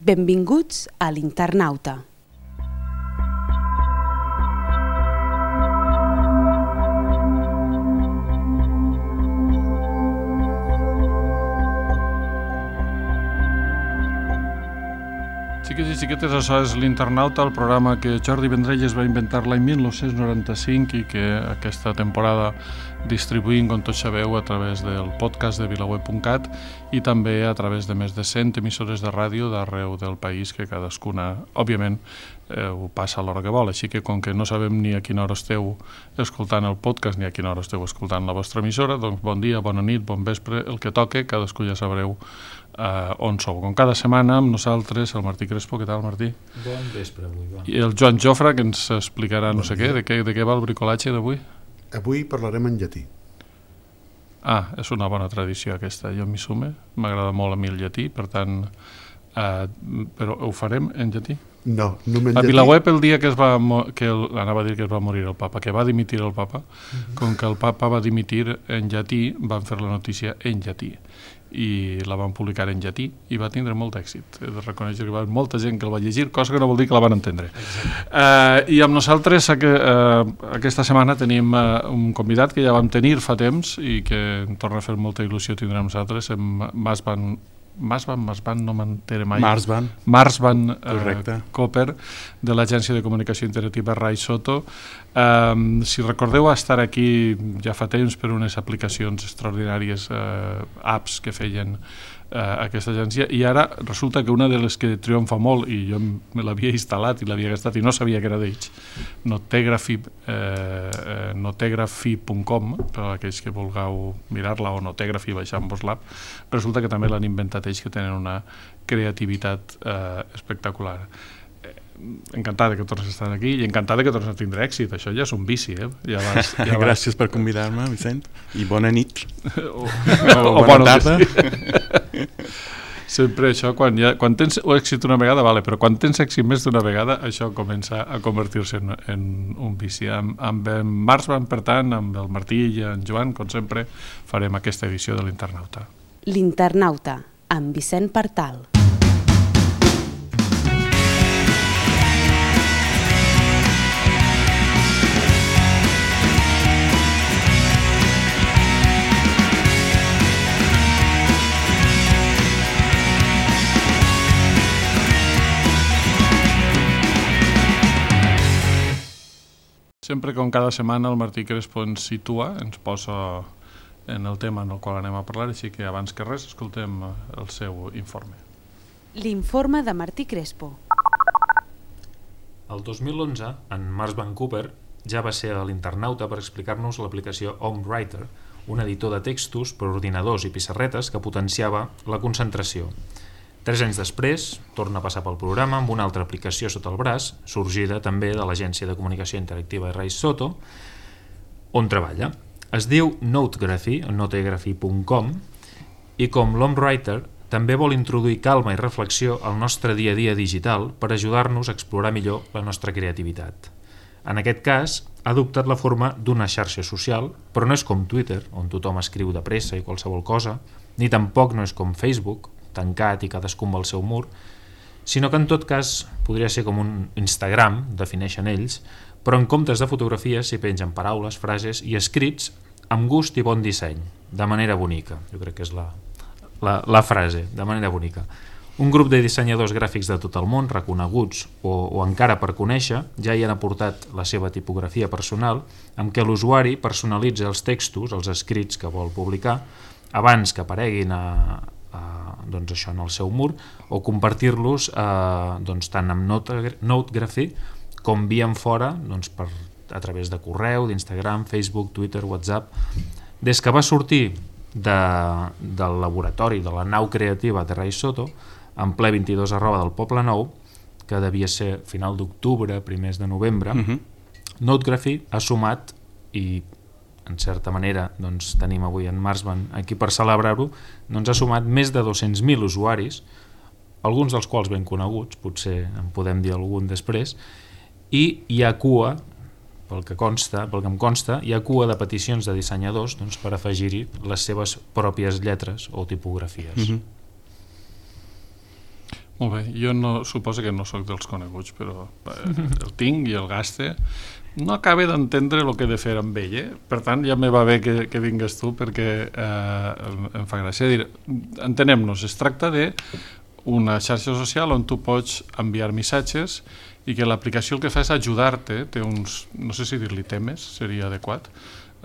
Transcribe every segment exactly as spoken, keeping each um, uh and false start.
Benvinguts a l'Internauta. Xiques i xiquetes, això és l'Internauta, el programa que Jordi Vendrell es va inventar l'any mil nou-cents noranta-cinc i que aquesta temporada distribuïm, com tots sabeu, a través del podcast de vilaweb punt cat i també a través de més de cent emissores de ràdio d'arreu del país, que cadascuna, òbviament, eh, ho passa a l'hora que vol. Així que, com que no sabem ni a quina hora esteu escoltant el podcast ni a quina hora esteu escoltant la vostra emissora, doncs bon dia, bona nit, bon vespre, el que toque, cadascú ja sabreu Uh, on sou. Com cada setmana amb nosaltres el Martí Crespo. Què tal, Martí? Bon vespre avui. Bon. I el Joan Jofra, que ens explicarà no bon sé què de, què, de què va el bricolatge d'avui? Avui parlarem en llatí. Ah, és una bona tradició aquesta, jo m'hi sume, m'agrada molt a mi el llatí, per tant, uh, però ho farem en llatí? No, només en a llatí. Vilaweb el dia que es va que el, anava a dir que es va morir el papa, que va dimitir el papa, uh-huh. Com que el papa va dimitir en llatí, van fer la notícia en llatí i la van publicar en llatí i va tindre molt èxit. He de reconèixer que va haver molta gent que el va llegir, cosa que no vol dir que la van entendre. Uh, I amb nosaltres que, uh, aquesta setmana tenim uh, un convidat que ja vam tenir fa temps i que em torna a fer molta il·lusió tindre amb nosaltres, en Marsban Marsban, Marsban, no m'entere mai. Marsban. Marsban uh, Cooper, de l'Agència de Comunicació Interactiva Rai Soto. Um, si recordeu estar aquí ja fa temps per unes aplicacions extraordinàries, uh, apps que feien uh, aquesta agència, i ara resulta que una de les que triomfa molt, i jo me l'havia instal·lat i l'havia gastat i no sabia que era d'ells, Notegraphy, eh, notegraphy punt com, per a aquells que vulgueu mirar-la, o Notegraphy, baixant-vos l'app, resulta que també l'han inventat ells, que tenen una creativitat eh, espectacular. Encantada que tornes a estar aquí i encantada que tornes a tindre èxit. Això ja és un vici, eh? Ja vas, ja vas... Gràcies per convidar-me, Vicent, i bona nit o, o, o bona tarda. Sempre això, quan, ja, quan tens èxit una vegada, vale, però quan tens èxit més d'una vegada, això comença a convertir-se en, en un vici. Amb, amb en Marsban, per tant, amb el Martí i en Joan, com sempre, farem aquesta edició de l'Internauta. L'Internauta, amb Vicent Partal. Sempre, com cada setmana, el Martí Crespo ens situa, ens posa en el tema en el qual anem a parlar, així que abans que res escoltem el seu informe. L'informe de Martí Crespo. El dos mil onze, en Marsban Cooper ja va ser a l'Internauta per explicar-nos l'aplicació HomeWriter, un editor de textos per ordinadors i pissarretes que potenciava la concentració. Tres anys després, torna a passar pel programa amb una altra aplicació sota el braç, sorgida també de l'Agència de Comunicació Interactiva Rai Soto, on treballa. Es diu Notegraphy, notegraphy punt com, i com l'HomeWriter també vol introduir calma i reflexió al nostre dia a dia digital per ajudar-nos a explorar millor la nostra creativitat. En aquest cas, ha adoptat la forma d'una xarxa social, però no és com Twitter, on tothom escriu de pressa i qualsevol cosa, ni tampoc no és com Facebook, tancat i cadascú amb el seu mur, sinó que en tot cas podria ser com un Instagram, defineixen ells, però en comptes de fotografies s'hi pengen paraules, frases i escrits amb gust i bon disseny, de manera bonica. Jo crec que és la, la, la frase, de manera bonica. Un grup de dissenyadors gràfics de tot el món, reconeguts o, o encara per conèixer, ja hi han aportat la seva tipografia personal, amb què l'usuari personalitza els textos, els escrits que vol publicar, abans que apareguin a Uh, doncs això en el seu mur, o compartir-los uh, doncs tant amb Notegraphy com via en fora, doncs per, a través de correu, d'Instagram, Facebook, Twitter, WhatsApp. Des que va sortir de, del laboratori de la nau creativa de Rai Soto, en ple vint-i-dos arroba del Poble Nou, que devia ser final d'octubre, primers de novembre, uh-huh. Notegraphy ha sumat, i en certa manera doncs, tenim avui en Marsban aquí per celebrar-ho, doncs ha sumat més de dos-cents mil usuaris, alguns dels quals ben coneguts, potser en podem dir algun després, i hi ha cua, pel que consta, pel que em consta, hi ha cua de peticions de dissenyadors doncs, per afegir-hi les seves pròpies lletres o tipografies. Mm-hmm. Molt bé, jo no, suposo que no sóc dels coneguts, però eh, el tinc i el gaste. No acabo d'entendre el que he de fer amb ell, eh? Per tant, ja me va bé que, que vingues tu perquè eh, em, em fa gràcia. Dir, entenem-nos, es tracta d'una xarxa social on tu pots enviar missatges i que l'aplicació el que fa és ajudar-te, té uns, no sé si dir-li temes, seria adequat,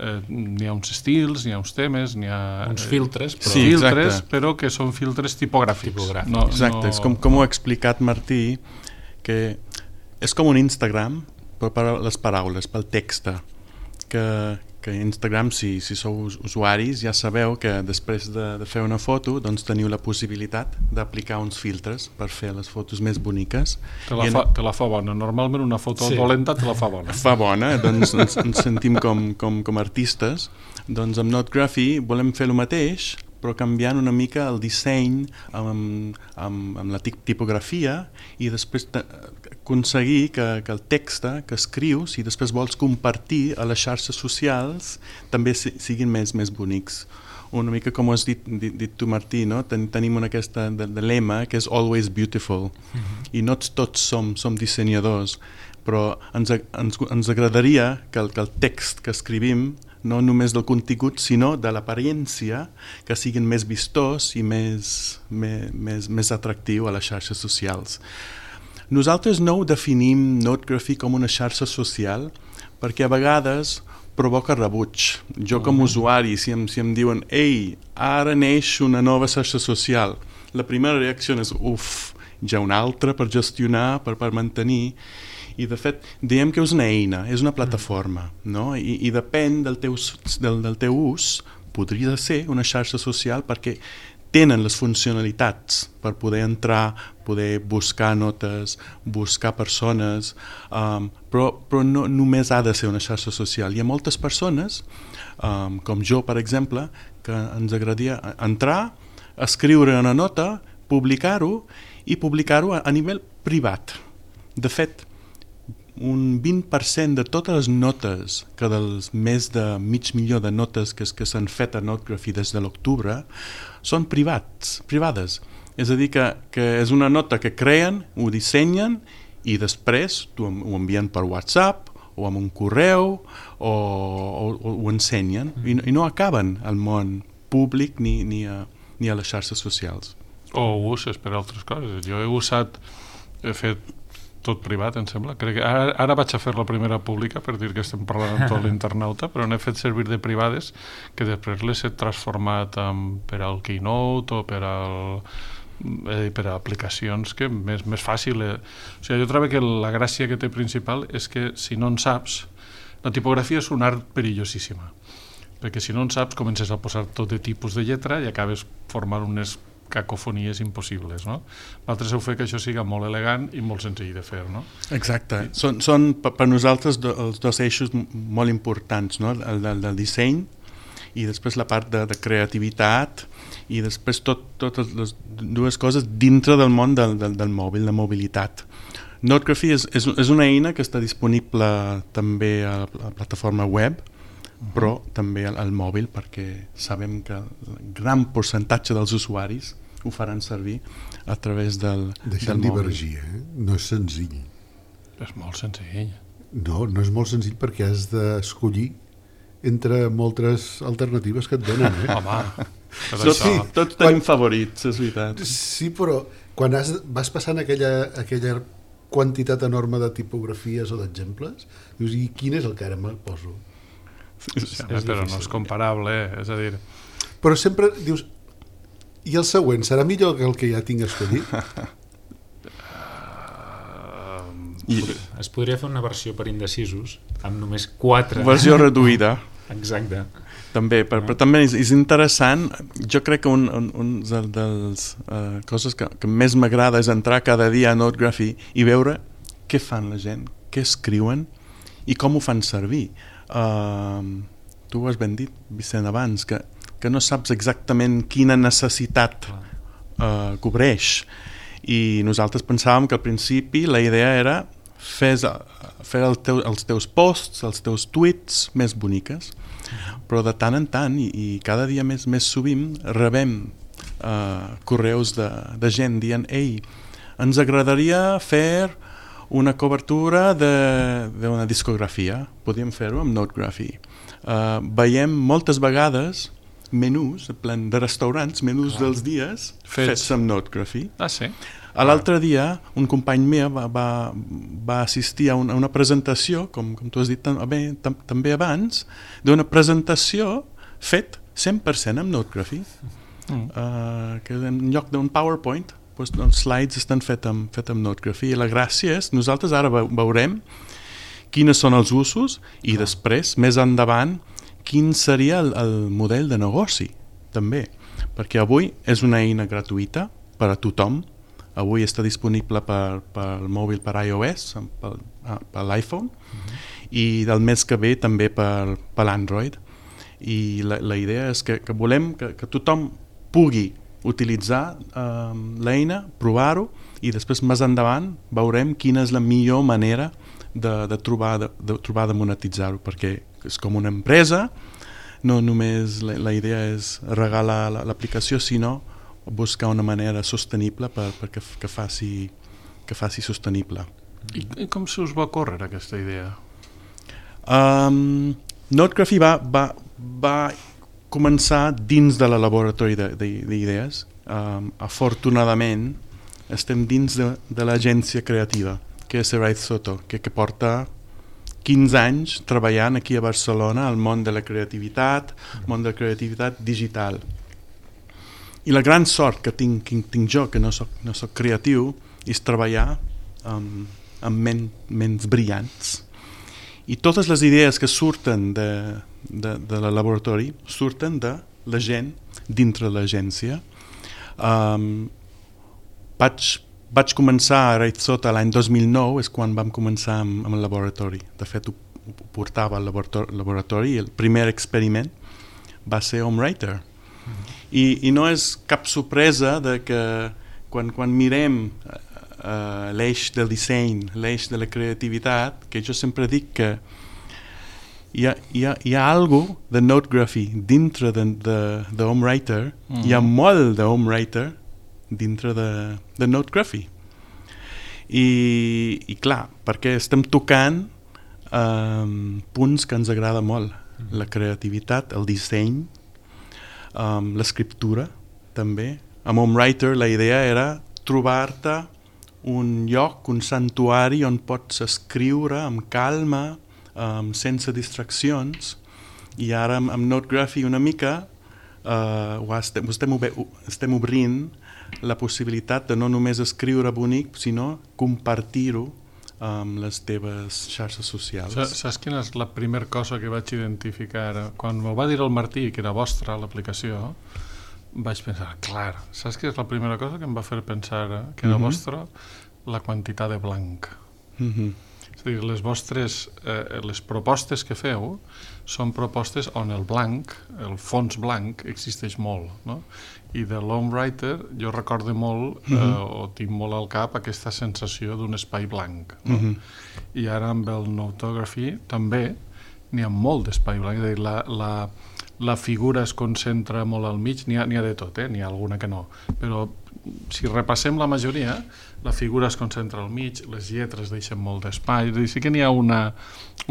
eh, n'hi ha uns estils, n'hi ha uns temes, n'hi ha... Uns filtres, però... Sí, filtres, exacte. però que són filtres tipogràfics. Tipogràfics. No, Exacte, no... és com, com ho ha explicat Martí, que és com un Instagram, però per les paraules, pel text, que, que Instagram, si, si sou usuaris, ja sabeu que després de, de fer una foto doncs teniu la possibilitat d'aplicar uns filtres per fer les fotos més boniques. Te la, I fa, te la fa bona. Normalment una foto Sí. dolenta te la fa bona. fa bona, doncs ens, ens sentim com, com, com artistes. Doncs amb Notgraphy volem fer el mateix, però canviant una mica el disseny amb, amb, amb la tipografia i després aconseguir que, que el text que escrius i després vols compartir a les xarxes socials també siguin més, més bonics. Una mica com ho has dit, dit, dit tu, Martí, no? Ten, tenim una aquesta de, de lema que és always beautiful, mm-hmm. i no tots som, som dissenyadors, però ens, ens, ens agradaria que el, que el text que escrivim no només del contingut, sinó de l'apariència, que siguin més vistós i més, més, més, més atractiu a les xarxes socials. Nosaltres no ho definim Notgraphy com una xarxa social perquè a vegades provoca rebuig. Jo com a usuari, si em, si em diuen «Ei, ara neix una nova xarxa social», la primera reacció és «Uf, ja una altra per gestionar, per, per mantenir». I de fet, diem que és una eina, és una plataforma, no? I, i depèn del teu, del, del teu ús, podria ser una xarxa social perquè tenen les funcionalitats per poder entrar, poder buscar notes, buscar persones, um, però, però no només ha de ser una xarxa social. Hi ha moltes persones, um, com jo, per exemple, que ens agradaria entrar, escriure una nota, publicar-ho i publicar-ho a, a nivell privat. De fet, un vint per cent de totes les notes, que dels més de mig milió de notes que, que s'han fet a Notgraphy des de l'octubre, són privats, privades. És a dir, que, que és una nota que creen, ho dissenyen i després ho envien per WhatsApp o amb un correu o, o, o ho ensenyen mm. i, no, i no acaben al món públic ni, ni, a, ni a les xarxes socials. O ho uses per altres coses. Jo he usat, he fet tot privat, em sembla. Crec que ara, ara vaig a fer la primera pública per dir que estem parlant amb tot l'internauta, però n'he fet servir de privades que després les he transformat en, per al Keynote o per al eh, per a aplicacions que més, més fàcil. Eh. O sigui, jo trobo que la gràcia que té principal és que si no en saps, la tipografia és un art perillosíssima, perquè si no en saps comences a posar tot de tipus de lletra i acabes formant unes cacofonies impossibles, no? L'altre seu fer que això siga molt elegant i molt senzill de fer, no? Exacte. Són, són per nosaltres do, els dos eixos molt importants, no? El del, del disseny i després la part de, de creativitat i després tot, totes les dues coses dintre del món del, del, del mòbil, la mobilitat. Notgraphy és, és, és una eina que està disponible també a la, a la plataforma web, però també al, al mòbil, perquè sabem que el gran percentatge dels usuaris ho faran servir a través del, Deixa'm del mòbil. divergir, eh? No és senzill. És molt senzill. No, no és molt senzill perquè has d'escollir entre moltes alternatives que et donen, eh? Home, per Tots, això... tots tenim favorits, és veritat. Sí, però quan has, vas passant aquella, aquella quantitat enorme de tipografies o d'exemples, dius, i quin és el que ara me'l poso? Sí, home, però no és comparable, eh? És a dir... Però sempre dius, i el següent, serà millor que el que ja tinc escollit? I, Es podria fer una versió per indecisos amb només quatre... versió reduïda. Exacte. També, però, però també és, és interessant. Jo crec que un, un, un dels uh, coses que, que més m'agrada és entrar cada dia a Notgraphy i veure què fan la gent, què escriuen i com ho fan servir. Uh, tu ho has ben dit, Vicent, abans, que, que no saps exactament quina necessitat uh, cobreix. I nosaltres pensàvem que al principi la idea era fer, fer el teu, els teus posts, els teus tweets més boniques, però de tant en tant i, i cada dia més més sovint rebem uh, correus de, de gent dient «Ei, ens agradaria fer una cobertura d'una discografia, podíem fer-ho amb Notegraphy. Uh, veiem moltes vegades menús, en plan de restaurants, menús ah. dels dies fets, fets amb Notegraphy. Ah, sí? A l'altre dia, un company meu va, va, va assistir a una, a una presentació, com, com tu has dit també, tam, també abans, d'una presentació fet cent per cent amb Notegraphy. Mm. Uh, que en lloc d'un PowerPoint, doncs, els slides estan fets amb, fet amb Notegraphy. I la gràcia és, nosaltres ara veurem quines són els usos i ah. després, més endavant, quin seria el, el model de negoci, també. Perquè avui és una eina gratuïta per a tothom. Avui està disponible per, per mòbil, per iOS, per, per l'iPhone, uh-huh. i del mes que ve també per, per l'Android. I la, la idea és que, que volem que, que tothom pugui utilitzar eh, l'eina, provar-ho, i després més endavant veurem quina és la millor manera de, de, trobar, de, de trobar de monetitzar-ho, perquè és com una empresa, no només la, la idea és regalar l'aplicació, sinó buscar una manera sostenible per, per que, que, faci, que faci sostenible. I, I com se us va córrer aquesta idea? Um, Notegraphy va, va, va començar dins de la laboratori d'idees. Um, afortunadament estem dins de, de l'agència creativa, que és Rai Soto, que, que porta quinze anys treballant aquí a Barcelona al món de la creativitat, món de la creativitat digital. I la gran sort que tinc, que tinc jo, que no soc, no soc creatiu, és treballar um, amb men, ments brillants. I totes les idees que surten de, de, de la laboratori surten de la gent dintre de l'agència. Um, vaig, vaig començar a Raizota l'any dos mil nou, és quan vam començar amb, amb el laboratori. De fet, ho, ho portava al laboratori, laboratori i el primer experiment va ser HomeWriter. Mm-hmm. I, i no és cap sorpresa de que quan, quan mirem uh, l'eix del disseny, l'eix de la creativitat, que jo sempre dic que hi ha, hi ha, hi ha algo de Notegraphy dintre de, de, de HomeWriter, mm. hi ha molt de HomeWriter dintre de, de Notegraphy. I, i clar, perquè estem tocant um, punts que ens agrada molt, mm. la creativitat, el disseny, Um, l'escriptura també. Amb HomeWriter la idea era trobar-te un lloc, un santuari on pots escriure amb calma, um, sense distraccions, i ara amb, amb Notegraphy una mica uh, ho estem, estem, estem obrint la possibilitat de no només escriure bonic, sinó compartir-ho amb les teves xarxes socials. Saps quina és la primera cosa que vaig identificar? Quan m'ho va dir el Martí, que era vostra l'aplicació, vaig pensar, clar, saps què és la primera cosa que em va fer pensar que era mm-hmm. vostra? La quantitat de blanc. Mm-hmm. És a dir, les vostres, eh, les propostes que feu són propostes on el blanc, el fons blanc, existeix molt, no? I de l'HomeWriter jo recordo molt, mm-hmm. eh, o tinc molt al cap aquesta sensació d'un espai blanc, no? Mm-hmm. I ara amb el Notegraphy també n'hi ha molt d'espai blanc, és a dir, la, la, la figura es concentra molt al mig, n'hi ha, n'hi ha de tot, eh? N'hi ha alguna que no, però si repassem la majoria, la figura es concentra al mig, les lletres deixen molt d'espai, és a dir, sí que n'hi ha una,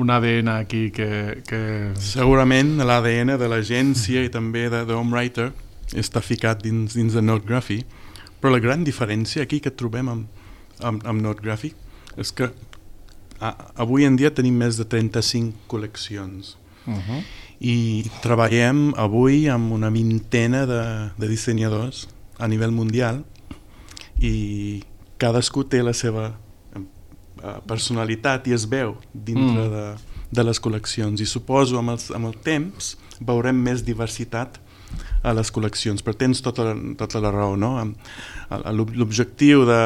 un A D N aquí que... que... Segurament l'A D N de l'agència i també de, de HomeWriter està ficat dins, dins de Notegraphy, però la gran diferència aquí que trobem amb, amb, amb Notegraphy és que a, avui en dia tenim més de trenta-cinc col·leccions uh-huh. i treballem avui amb una vintena de, de dissenyadors a nivell mundial i cadascú té la seva personalitat i es veu dintre mm. de, de les col·leccions, i suposo amb, els, amb el temps veurem més diversitat a les col·leccions, però tens tota, tota la raó, no? L'objectiu de,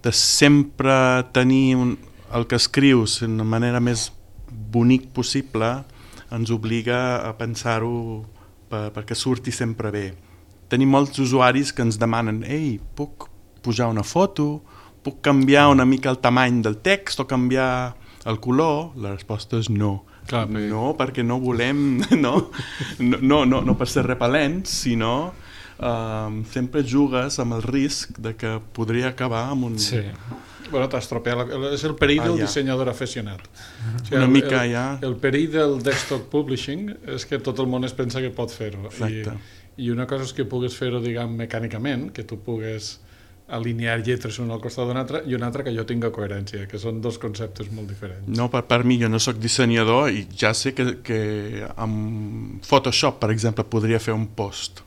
de sempre tenir un, el que escrius de la manera més bonic possible ens obliga a pensar-ho per, perquè surti sempre bé. Tenim molts usuaris que ens demanen, ei, puc pujar una foto, puc canviar una mica el tamany del text o canviar el color? La resposta és no. Clar, no, perquè no volem, no, no, no, no per ser repel·lents, sinó um, sempre jugues amb el risc de que podria acabar amb un... Sí. Bueno, t'estropeat. És el perill Ah, del ja. dissenyador aficionat. O sigui, Una el, mica el, ja... El perill del desktop publishing és que tot el món es pensa que pot fer-ho. I, Exacte. I una cosa és que pugues fer-ho, diguem, mecànicament, que tu pugues alinear lletres una al costat d'una altra, i una altra que jo tinga coherència, que són dos conceptes molt diferents. No, per, per mi, jo no sóc dissenyador i ja sé que, que amb Photoshop, per exemple, podria fer un post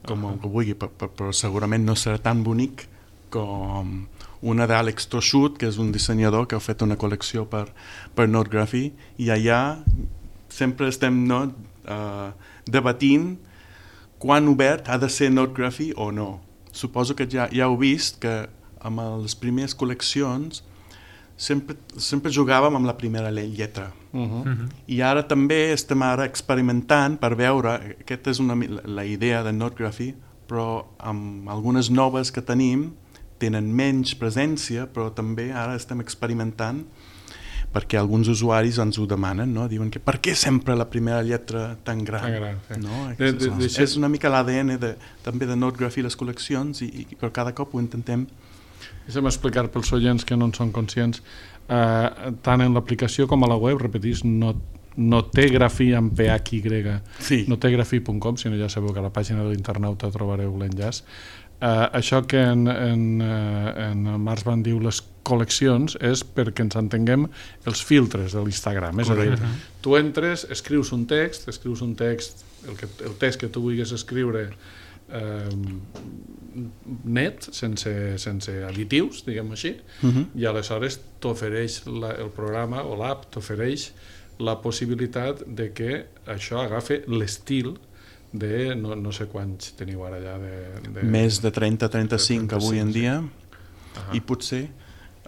com uh -huh. que vulgui, però, però segurament no serà tan bonic com una d'Àlex Toshut, que és un dissenyador que ha fet una col·lecció per, per Notegraphy, i allà sempre estem no, uh, debatint quan obert ha de ser Notegraphy o no. Suposo que ja, ja heu vist que amb les primeres col·leccions sempre, sempre jugàvem amb la primera lletra. Uh -huh. Uh -huh. I ara també estem ara experimentant per veure, aquesta és una, la idea de Notegraphy, però amb algunes noves que tenim tenen menys presència, però també ara estem experimentant perquè alguns usuaris ens ho demanen, no? Diuen que per què sempre la primera lletra tan gran? Tan gran, sí. No? De, de, de, és una mica l'A D N de, també de Notegraphy les col·leccions i, i per cada cop ho intentem. Deixa'm explicar pels oients que no en són conscients, eh, tant en l'aplicació com a la web, repetís, no, Notegraphy amb P H Y, Sí. notegraphy punt com, si no ja sabeu que a la pàgina de l'internauta trobareu l'enllaç. Uh, això que en, en, uh, en Març van diu les col·leccions és perquè ens entenguem els filtres de l'Instagram. És a dir, tu entres, escrius un text, escrius un text, el, que, el text que tu vulguis escriure eh, net, sense, sense additius, diguem així, Uh-huh. i aleshores t'ofereix la, el programa o l'app t'ofereix la possibilitat de que això agafi l'estil de no, no sé quants teniu ara ja de, de... Més de trenta a trenta-cinc avui en dia, Ahà. i potser,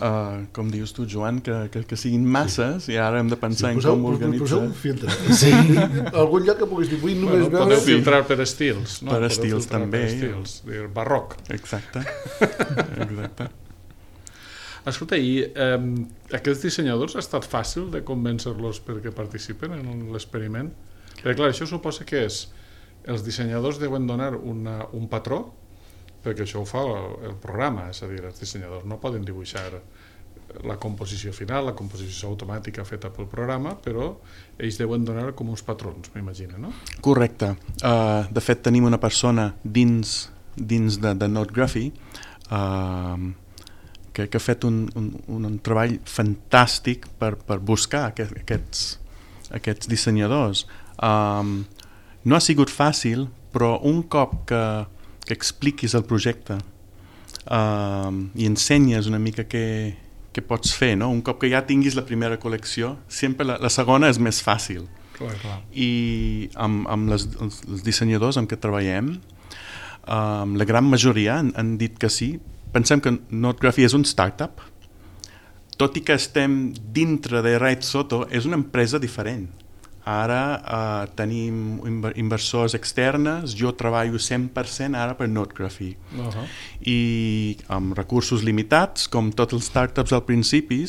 uh, com dius tu, Joan, que, que, que siguin masses, sí. I ara hem de pensar Sí, en poseu, com organitzar. poseu un filtre. Sí. Algun lloc que puguis dir, vull només Bueno, veure... podeu filtrar per estils, no? Per Podeu estils filtrar també. per estils, dir, barroc. Exacte. Exacte. Escolta, i eh, aquests dissenyadors ha estat fàcil de convèncer-los perquè participen en l'experiment? Perquè clar, això suposa que és els dissenyadors deuen donar una, un patró, perquè això ho fa el, el programa, és a dir, els dissenyadors no poden dibuixar la composició final, la composició automàtica feta pel programa, però ells deuen donar com uns patrons, m'imagino, no? Correcte. Uh, de fet, tenim una persona dins, dins de, de Notegraphy uh, que, que ha fet un, un, un treball fantàstic per, per buscar aquest, aquests, aquests dissenyadors. Um, no ha sigut fàcil, però un cop que, que expliquis el projecte um, i ensenyes una mica què, què pots fer, no? Un cop que ja tinguis la primera col·lecció, sempre la, la segona és més fàcil. Clar, clar. I amb, amb les, els, els dissenyadors amb què treballem, um, la gran majoria han, han dit que sí. Pensem que Notegraphy és un startup, tot i que estem dintre de Right Soto, és una empresa diferent. Ara uh, tenim inversors externes, jo treballo cent per cent ara per Notegraphy. Uh-huh. I amb recursos limitats, com tots els startups al principi,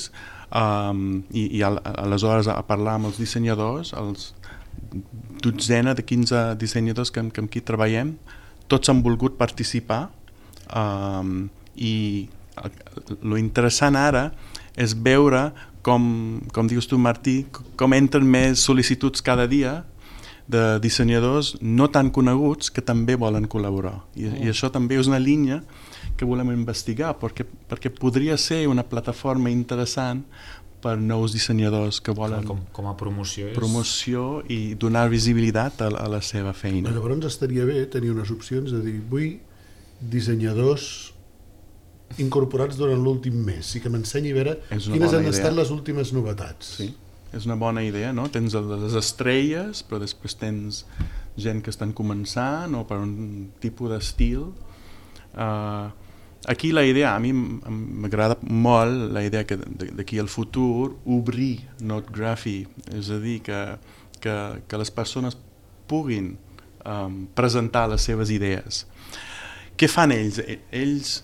um, i, i al, aleshores a parlar amb els dissenyadors, els dotzena de quinze dissenyadors que, que amb qui treballem, tots han volgut participar, um, i lo interessant ara és veure com, com dius tu, Martí, com entren més sol·licituds cada dia de dissenyadors no tan coneguts que també volen col·laborar. I, mm. i això també és una línia que volem investigar, perquè, perquè podria ser una plataforma interessant per nous dissenyadors que volen com, com a promoció, és... promoció i donar visibilitat a, a la seva feina. Llavors estaria bé tenir unes opcions de dir, vull dissenyadors incorporats durant l'últim mes i que m'ensenyi a veure quines han estat les últimes novetats. Sí, és una bona idea, no? Tens les estrelles, però després tens gent que estan començant o per un tipus d'estil. Uh, aquí la idea, a mi m'agrada molt la idea que d'aquí al futur obrir Notegraphy, és a dir, que, que, que les persones puguin um, presentar les seves idees. Què fan ells? Ells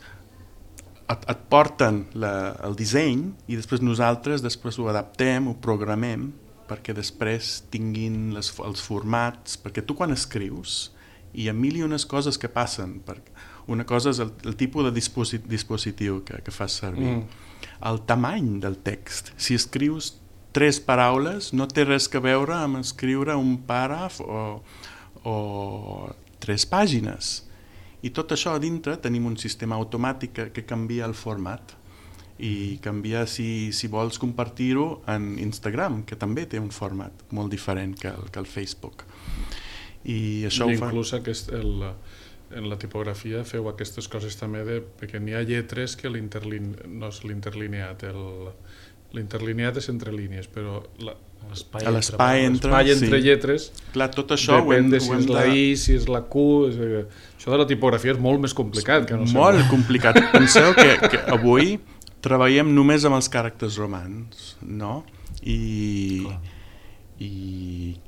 et, et porten la, el disseny i després nosaltres després ho adaptem, ho programem perquè després tinguin les, els formats, perquè tu quan escrius hi ha mil i unes coses que passen. Una cosa és el, el tipus de disposit, dispositiu que, que fas servir. Mm. El tamany del text. Si escrius tres paraules, no té res que veure amb escriure un paràgraf o, o tres pàgines. I tot això a dintre tenim un sistema automàtic que, que canvia el format i canvia si, si vols compartir-ho en Instagram, que també té un format molt diferent que el, que el Facebook. I això I ho fa... inclús aquest, el, en la tipografia feu aquestes coses també de, perquè n'hi ha lletres que l'interlin, no és l'interlineat, el, l'interlineat és entre línies, però la, l'espai a l'espai entre, l'espai entre sí. lletres clar, tot això depèn hem, de si és la I, si és la Q, és, això de la tipografia és molt més complicat que no sé. Molt complicat. Penseu que, que avui treballem només amb els caràcters romans, no? I, i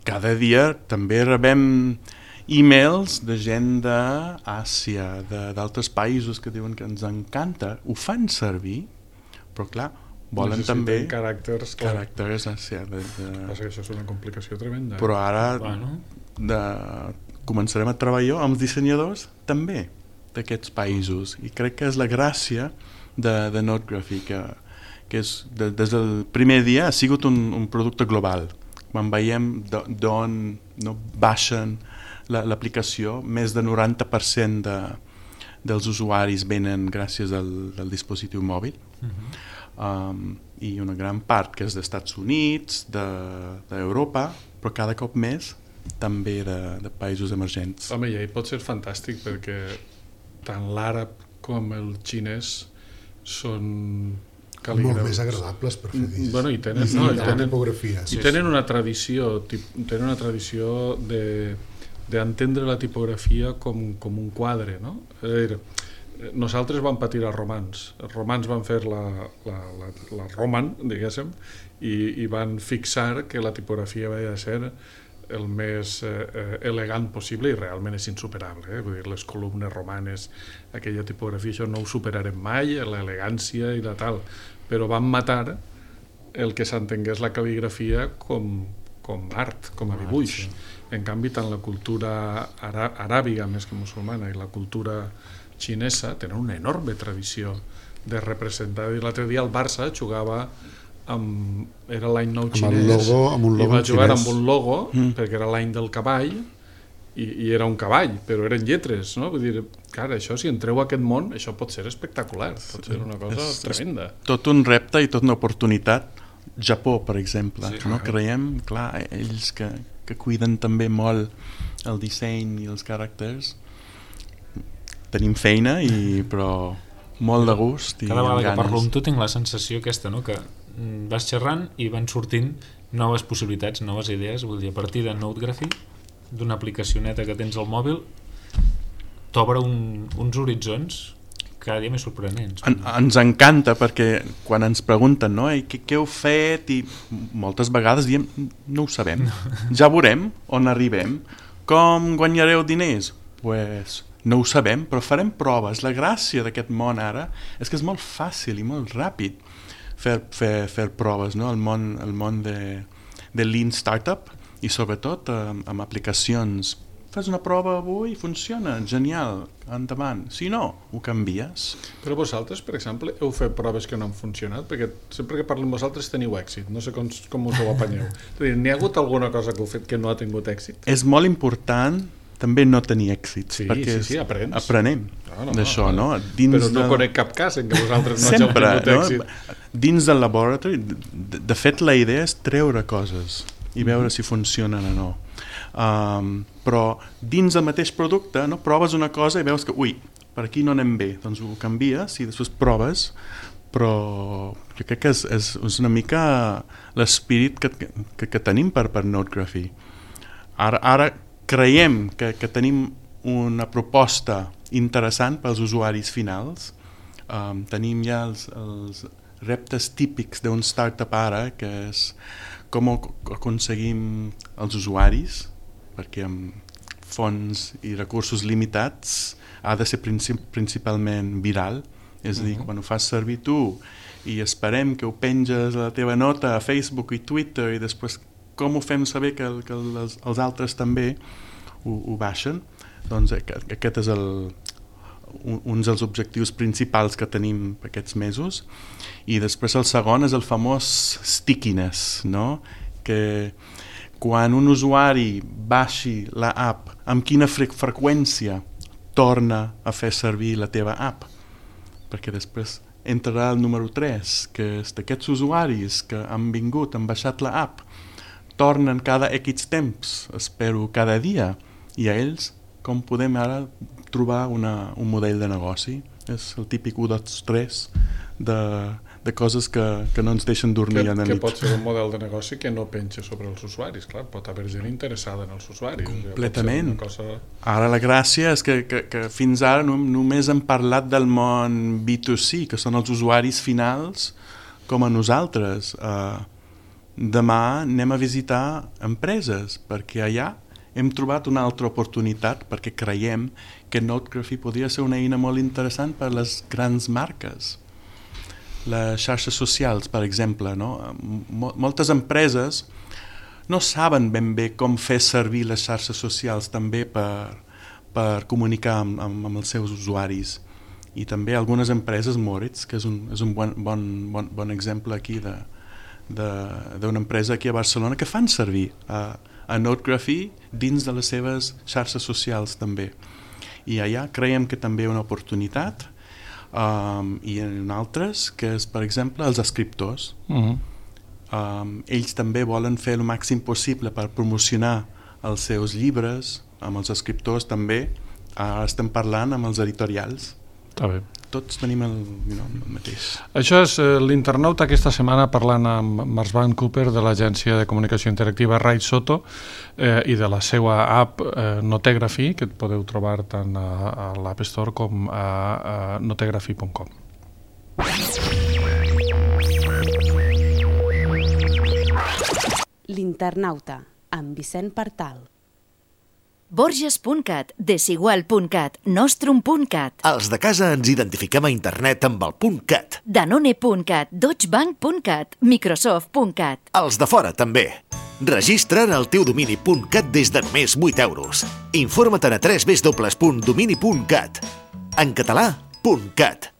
cada dia també rebem e-mails de gent d'Àsia, d'altres països que diuen que ens encanta, ho fan servir, però clar, volen necessiten també caràcters, caràcters Àsia. De, de... Passa que això és una complicació tremenda. Però ara bueno. de, començarem a treballar amb els dissenyadors també d'aquests països i crec que és la gràcia de, de Notegraphy, que, que és, de, des del primer dia ha sigut un, un producte global. Quan veiem d'on no, baixen l'aplicació, més de noranta per cent de, dels usuaris venen gràcies al, al dispositiu mòbil. Uh-huh. um, i una gran part que és dels Estats Units, d'Europa, de, però cada cop més també de, de països emergents. Home, i pot ser fantàstic perquè tant l'àrab com el xinès són cal·lígrafs. Molt més agradables per fer discs. Bueno, i tenen, no, i tenen, tipografia. I tenen una tradició, tenen una tradició de d'entendre la tipografia com, com un quadre, no? És a dir, nosaltres vam patir els romans. Els romans van fer la, la, la, la roman, diguéssim, i, i van fixar que la tipografia havia de ser el més eh, elegant possible i realment és insuperable. Eh? Vull dir, les columnes romanes, aquella tipografia, això no ho superarem mai, l'elegància i la tal, però van matar el que s'entengués la cal·ligrafia com, com art, com a dibuix. Ah, sí. En canvi, tant la cultura ara, aràbiga més que musulmana i la cultura xinesa tenen una enorme tradició de representar. L'altre dia el Barça jugava amb, era l'any nou xinès, amb, logo, amb un logo i va jugar xinès. amb un logo mm. perquè era l'any del cavall i, i era un cavall, però eren lletres, no? Vull dir, clar, això, si entreu a aquest món, això pot ser espectacular, pot ser una cosa és, tremenda. És tot un repte i tot una oportunitat. Japó, per exemple, sí, no? Creiem, clar, ells que, que cuiden també molt el disseny i els caràcters, tenim feina, i, però molt de gust i cada vegada amb que ganes. parlo amb tu tinc la sensació aquesta, no? Que vas xerrant i van sortint noves possibilitats, noves idees. Vull dir, a partir de Notegraphy, d'una aplicació neta que tens al mòbil, t'obre un, uns horitzons cada dia més sorprenents. En, ens encanta perquè quan ens pregunten, no, què, què heu fet, i moltes vegades diem no ho sabem, ja veurem on arribem. Com guanyareu diners? Pues no ho sabem, però farem proves. La gràcia d'aquest món ara és que és molt fàcil i molt ràpid fer, fer, fer proves, no? El món, el món de, de Lean Startup, i sobretot amb, amb aplicacions. Fes una prova avui, funciona, genial, endavant. Si no, ho canvies. Però vosaltres, per exemple, heu fet proves que no han funcionat? Perquè sempre que parlo amb vosaltres teniu èxit, no sé com, com us ho apanyeu. És a dir, n'hi ha hagut alguna cosa que heu fet que no ha tingut èxit? És molt important també no tenir èxit, sí, perquè sí, sí, aprens. aprenem no, no, d'això, no? no? Dins Però no de... conec cap cas en què vosaltres no sempre, hàgiu tingut no? èxit. Dins del laboratori, de, de fet, la idea és treure coses i veure mm-hmm. si funcionen o no. Um, però dins del mateix producte, no, proves una cosa i veus que ui, per aquí no anem bé, doncs ho canvies i després proves, però jo crec que és, és, és una mica l'espírit que, que, que tenim per, per Notegraphy. Ara, ara creiem que, que tenim una proposta interessant pels usuaris finals. Um, tenim ja els, els reptes típics d'un startup ara, que és com aconseguim els usuaris, perquè amb fons i recursos limitats ha de ser princip principalment viral, és a dir, uh-huh. quan ho fas servir tu i esperem que ho penges a la teva nota a Facebook i Twitter i després com ho fem saber que, que els, els altres també ho, ho baixen, Doncs aquest és el, un, un dels objectius principals que tenim aquests mesos. I després el segon és el famós stickiness, no? Que quan un usuari baixi la app, amb quina fre freqüència torna a fer servir la teva app, perquè després entrarà el número tres, que és d'aquests usuaris que han vingut, han baixat la app, tornen cada X temps, espero cada dia, i a ells com podem ara trobar una, un model de negoci. És el típic u dos tres de, de coses que, que no ens deixen dormir que, a la nit. nit. Que pot ser un model de negoci que no penja sobre els usuaris, clar, pot haver gent interessada en els usuaris. Completament. Cosa... Ara la gràcia és que, que, que fins ara no, només hem parlat del món B dos C, que són els usuaris finals com a nosaltres. Uh, demà anem a visitar empreses, perquè allà hem trobat una altra oportunitat, perquè creiem que Notography podria ser una eina molt interessant per a les grans marques. Les xarxes socials, per exemple, no? Moltes empreses no saben ben bé com fer servir les xarxes socials també per, per comunicar amb, amb, amb els seus usuaris. I també algunes empreses, Moritz, que és un, és un bon, bon, bon, bon exemple aquí de, de, d'una empresa aquí a Barcelona, que fan servir a, a Notography dins de les seves xarxes socials també. I allà creiem que també hi ha una oportunitat, um, i en altres, que és, per exemple, els escriptors. Uh-huh. um, ells també volen fer el màxim possible per promocionar els seus llibres, amb els escriptors també. Ara estem parlant amb els editorials. Està bé. Tots tenim el, you know, el mateix. Això és eh, l'internauta aquesta setmana parlant amb Marsban Cooper de l'agència de comunicació interactiva Rai Soto eh, i de la seva app eh, Notography, que podeu trobar tant a, a l'App Store com a, a notography punt com. L'internauta, amb Vicent Partal. Borges punt cat, Desigual punt cat, Nostrum punt cat. Els de casa ens identifiquem a internet amb el .cat. Danone punt cat, Deutsche Bank punt cat, Microsoft punt cat. Els de fora també. Registra't el teu domini .cat des de només vuit euros. Informa't a w w w punt domini punt cat. En català, .cat.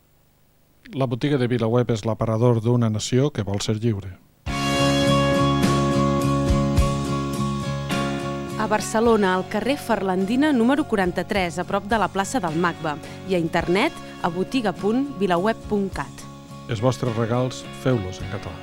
La botiga de VilaWeb és l'aparador d'una nació que vol ser lliure. A Barcelona, al carrer Ferlandina número quaranta-tres, a prop de la plaça del Macba, i a internet a botiga punt vilaweb punt cat. Els vostres regals, feu-los en català.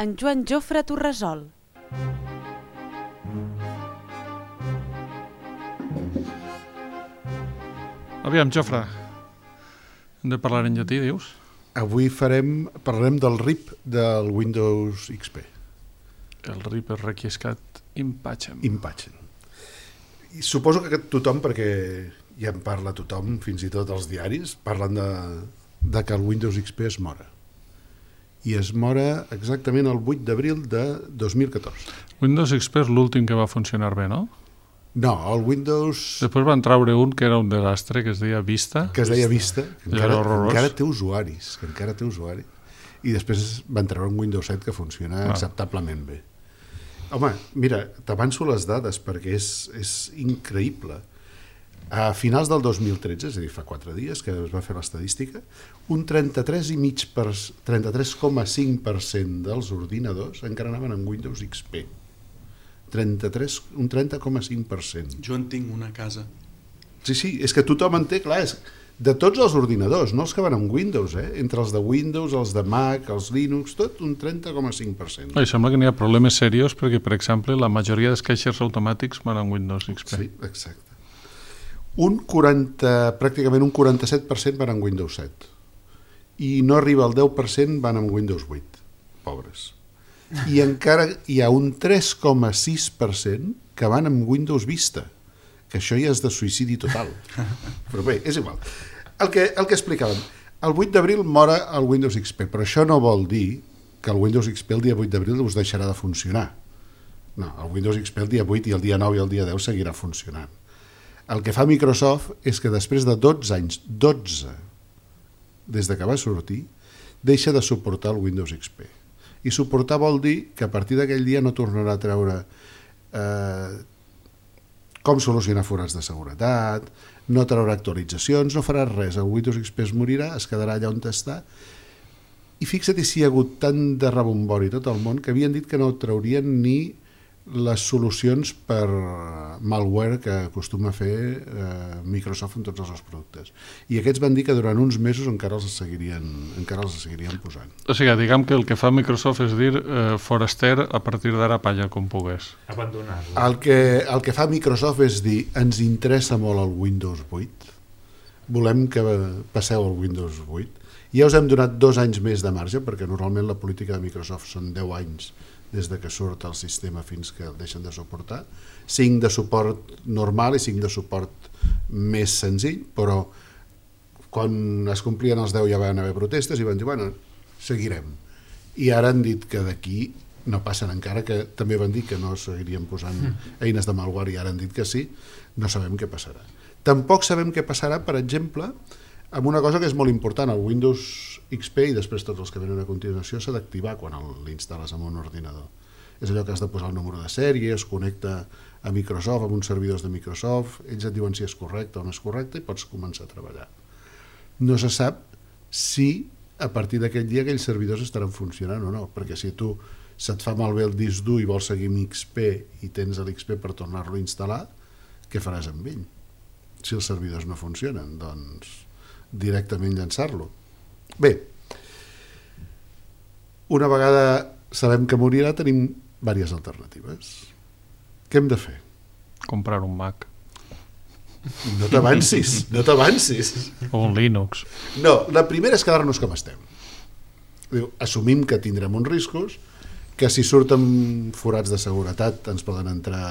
En Joan Jofre Torresol. Aviam, Jofre, hem de parlar en llatí, dius? Avui farem, parlarem del R I P del Windows X P. El R I P és requiescat in pacem. In pacem. I suposo que tothom, perquè ja en parla tothom, fins i tot els diaris, parlen de, de que el Windows X P es mora. I es mora exactament el vuit d'abril de dos mil catorze. Windows X P és l'últim que va funcionar bé, no? No, el Windows... Després van treure un que era un desastre, que es deia Vista. Que es deia Vista, que encara, encara té usuaris, que encara té usuaris. I després van treure un Windows set que funciona ah. acceptablement bé. Home, mira, t'avanço les dades perquè és, és increïble. A finals del dos mil tretze, és a dir, fa quatre dies que es va fer l'estadística, un trenta-tres coma cinc per cent dels ordinadors encara anaven amb Windows X P. trenta-tres, un trenta coma cinc per cent. Jo en tinc una a casa. Sí, sí, és que tothom en té, clar, és de tots els ordinadors, no els que van amb Windows, eh? Entre els de Windows, els de Mac, els Linux, tot un trenta coma cinc per cent. Oi, sembla que n'hi ha problemes serios perquè, per exemple, la majoria dels caixers automàtics van amb Windows X P. Sí, exacte. Un quaranta, pràcticament un quaranta-set per cent van amb Windows set. I no arriba al deu per cent van amb Windows vuit. Pobres. I encara hi ha un tres coma sis per cent que van amb Windows Vista, que això ja és de suïcidi total. Però bé, és igual. El que, el que explicàvem, el vuit d'abril mora el Windows X P, però això no vol dir que el Windows X P el dia vuit d'abril us deixarà de funcionar. No, el Windows X P el dia vuit i el dia nou i el dia deu seguirà funcionant. El que fa Microsoft és que després de dotze anys, dotze, des de que va sortir, deixa de suportar el Windows X P. I suportar vol dir que a partir d'aquell dia no tornarà a treure eh, com solucionar forats de seguretat, no traurà actualitzacions, no farà res, el Windows X P es morirà, es quedarà allà on està, i fixa't si hi ha hagut tant de rebombori tot el món que havien dit que no traurien ni les solucions per malware que acostuma a fer eh, Microsoft en tots els seus productes. I aquests van dir que durant uns mesos encara els seguirien, encara els seguirien posant. O sigui, diguem que el que fa Microsoft és dir eh, foraster a partir d'ara palla com pogués. Abandonar-lo. El que, el que fa Microsoft és dir ens interessa molt el Windows vuit, volem que passeu al Windows vuit. Ja us hem donat dos anys més de marge, perquè normalment la política de Microsoft són deu anys des de que surt el sistema fins que el deixen de suportar, cinc de suport normal i cinc de suport més senzill, però quan es complien els deu ja van haver protestes i van dir, bueno, seguirem. I ara han dit que d'aquí no passen encara, que també van dir que no seguirien posant eines de malware i ara han dit que sí, no sabem què passarà. Tampoc sabem què passarà, per exemple, amb una cosa que és molt important, el Windows X P i després tots els que venen a continuació s'ha d'activar quan l'instal·les en un ordinador. És allò que has de posar el número de sèrie, es connecta a Microsoft, amb uns servidors de Microsoft, ells et diuen si és correcte o no és correcte i pots començar a treballar. No se sap si a partir d'aquell dia aquells servidors estaran funcionant o no, perquè si tu se't fa malbé el disc dur i vols seguir amb X P i tens l'X P per tornar-lo a instal·lar, què faràs amb ell? Si els servidors no funcionen, doncs directament llançar-lo. Bé, una vegada sabem que morirà, tenim diverses alternatives. Què hem de fer? Comprar un Mac. No t'avancis, no t'avancis. O un Linux. No, la primera és quedar-nos com estem. Diu, assumim que tindrem uns riscos, que si surten forats de seguretat ens poden entrar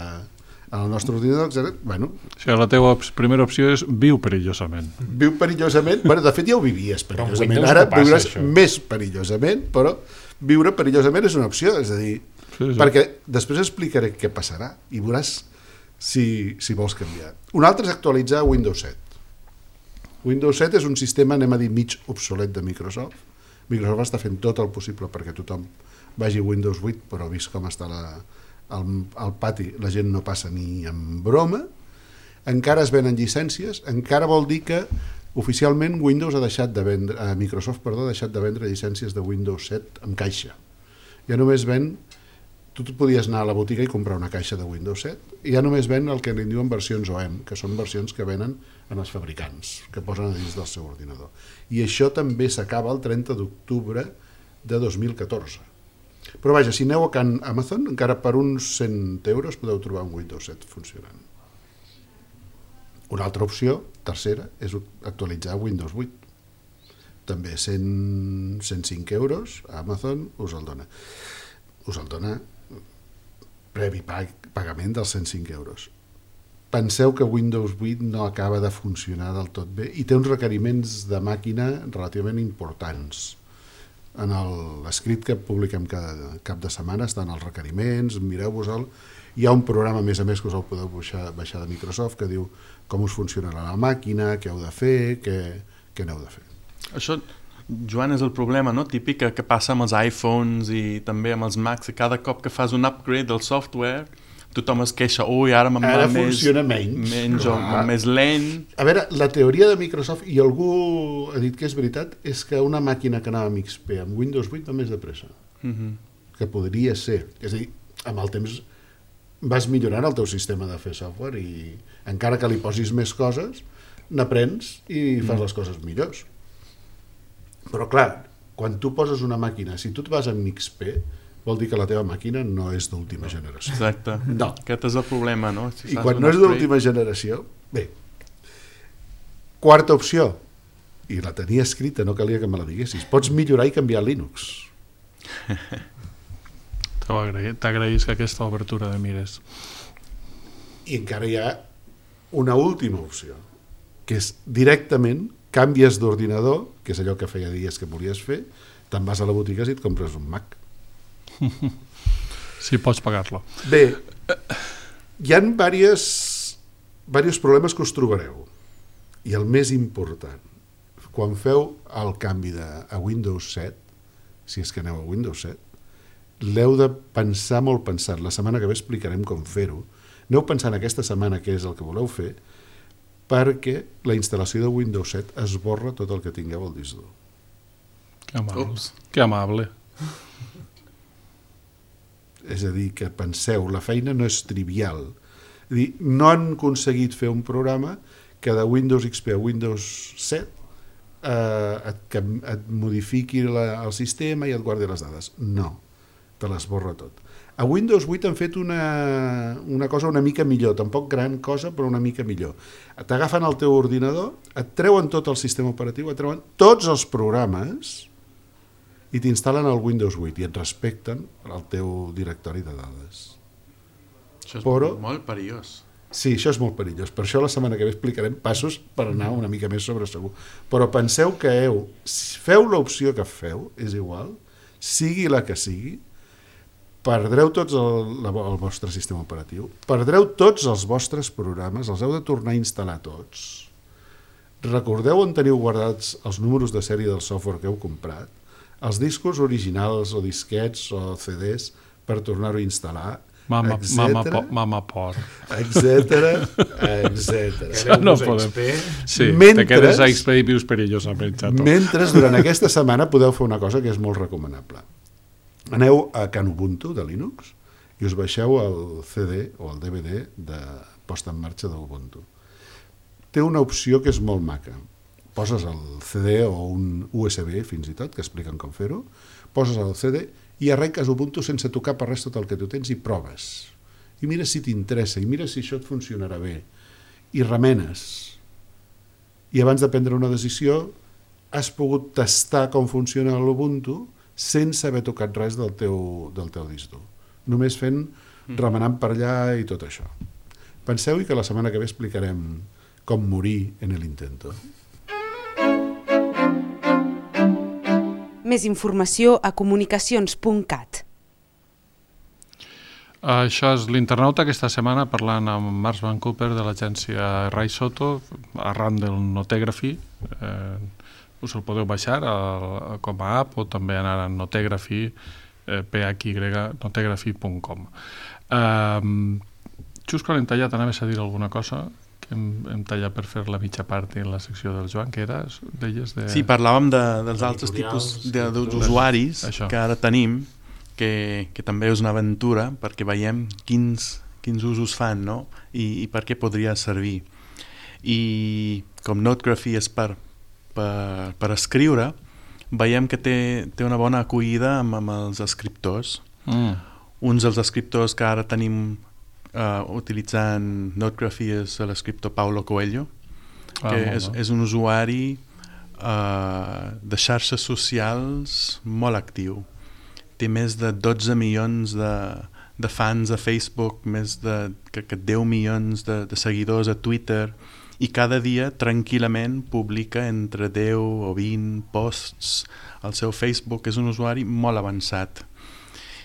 en el nostre ordinador, etcètera. Bueno, o sigui, la teva op primera opció és viu perillosament. Viu perillosament, bueno, de fet ja ho vivies perillosament, Windows ara no passa, viuràs això. més perillosament, però viure perillosament és una opció, és a dir, Sí, sí. perquè després explicaré què passarà i veuràs si, si vols canviar. Un altre és actualitzar Windows set. Windows set és un sistema, anem a dir, mig obsolet de Microsoft. Microsoft està fent tot el possible perquè tothom vagi a Windows vuit, però vist com està la, el, el pati, la gent no passa ni en broma. Encara es venen llicències, encara vol dir que oficialment Windows ha deixat de vendre, eh, Microsoft perdó, ha deixat de vendre llicències de Windows set amb caixa. Ja només ven, tu podies anar a la botiga i comprar una caixa de Windows set, i ja només ven el que en diuen versions O E M, que són versions que venen en els fabricants, que posen a dins del seu ordinador. I això també s'acaba el trenta d'octubre de dos mil catorze. Però vaja, si aneu a Can Amazon, encara per uns cent euros podeu trobar un Windows set funcionant. Una altra opció, tercera, és actualitzar Windows vuit. També cent, cent cinc euros, Amazon us el dona. Us el dona previ pag, pagament dels cent cinc euros. Penseu que Windows vuit no acaba de funcionar del tot bé i té uns requeriments de màquina relativament importants. En l'escrit que publiquem cada cap de setmana estan els requeriments, mireu-vos-el. Hi ha un programa, a més a més, que us el podeu baixar, baixar de Microsoft, que diu com us funcionarà la màquina, què heu de fer, què, què n'heu de fer. Això, Joan, és el problema, no? Típic que passa amb els iPhones i també amb els Macs, que cada cop que fas un upgrade del software tothom es queixa, ui, ara me'n va més, funciona menys, menys o més lent. A veure, la teoria de Microsoft, i algú ha dit que és veritat, és que una màquina que anava amb X P amb Windows vuit va més de pressa. Mm-hmm. Que podria ser. És a dir, amb el temps vas millorant el teu sistema de fer software i encara que li posis més coses, n'aprens i fas mm. les coses millors. Però clar, quan tu poses una màquina, si tu et vas amb X P, vol dir que la teva màquina no és d'última generació. Exacte. No. Aquest és el problema, no? Si I quan no és d'última generació, bé. Quarta opció, i la tenia escrita, no calia que me la diguessis, pots millorar i canviar Linux. T'agraïs que aquesta obertura de mires. I encara hi ha una última opció, que és directament canvies d'ordinador, que és allò que feia dies que volies fer, te'n vas a la botiga i et compres un Mac. Sí, pots pagar-lo. Bé, hi ha diversos, diversos problemes que us trobareu. I el més important, quan feu el canvi de, a Windows set, si és que aneu a Windows set, l'heu de pensar molt pensat. La setmana que ve explicarem com fer-ho. Aneu pensant aquesta setmana què és el que voleu fer, perquè la instal·lació de Windows set esborra tot el que tingueu al disc dur. Que amable. Ups. Que amable. És a dir, que penseu, la feina no és trivial. És a dir, no han aconseguit fer un programa que de Windows X P a Windows set eh, et, que et modifiqui la, el sistema i et guardi les dades. No, te l'esborra tot. A Windows vuit han fet una, una cosa una mica millor, tampoc gran cosa, però una mica millor. T'agafen el teu ordinador, et treuen tot el sistema operatiu, et treuen tots els programes i t'instal·len el Windows vuit i et respecten el teu directori de dades. Això és però, molt perillós. Sí, això és molt perillós. Per això la setmana que ve explicarem passos per anar una mica més sobre segur. Però penseu que heu, feu l'opció que feu, és igual, sigui la que sigui, perdreu tots el, el vostre sistema operatiu, perdreu tots els vostres programes, els heu de tornar a instal·lar tots. Recordeu on teniu guardats els números de sèrie del software que heu comprat, els discos originals o disquets o C Ds per tornar-ho a instal·lar, Mama, mama, po, mama por. Etcètera, etcètera. No podem. Sí, mentre, te quedes a X P i vius perillosament, xato. Mentre durant aquesta setmana podeu fer una cosa que és molt recomanable. Aneu a Can Ubuntu de Linux i us baixeu el C D o el D V D de posta en marxa d'Ubuntu. Té una opció que és molt maca. Poses el C D o un U S B fins i tot, que expliquen com fer-ho, poses el C D i arrenques Ubuntu sense tocar per res tot el que tu tens i proves. I mira si t'interessa, i mira si això et funcionarà bé. I remenes. I abans de prendre una decisió has pogut tastar com funciona l'Ubuntu sense haver tocat res del teu, del teu disc dur. Només fent, remenant per allà i tot això. Penseu-hi que la setmana que ve explicarem com morir en el intento. Més informació a comunicacions punt cat. Això és l'Internauta aquesta setmana parlant amb Marc Van Cooper de l'agència Ray Soto arran del Notegraphy. Eh, us el podeu baixar a, a, com a app o també anar a Notegraphy, eh, p h y notegraphy punt com. Eh, just quan hem tallat anaves a dir alguna cosa que hem, hem tallat per fer la mitja part en la secció del Joan, que era, deies de... Sí, parlàvem de, dels altres tipus d'usuaris que ara tenim, que, que també és una aventura perquè veiem quins, quins usos fan, no? I, i per què podria servir. I com Notegraphy és per, per, per escriure, veiem que té, té una bona acollida amb, amb els escriptors. Mm. Uns dels escriptors que ara tenim uh, utilitzant Notegraphy és l'escriptor Paulo Coelho, ah, que és, és un usuari uh, de xarxes socials molt actiu. Té més de dotze milions de, de fans a Facebook, més de que, que deu milions de, de seguidors a Twitter, i cada dia tranquil·lament publica entre deu o vint posts al seu Facebook. És un usuari molt avançat.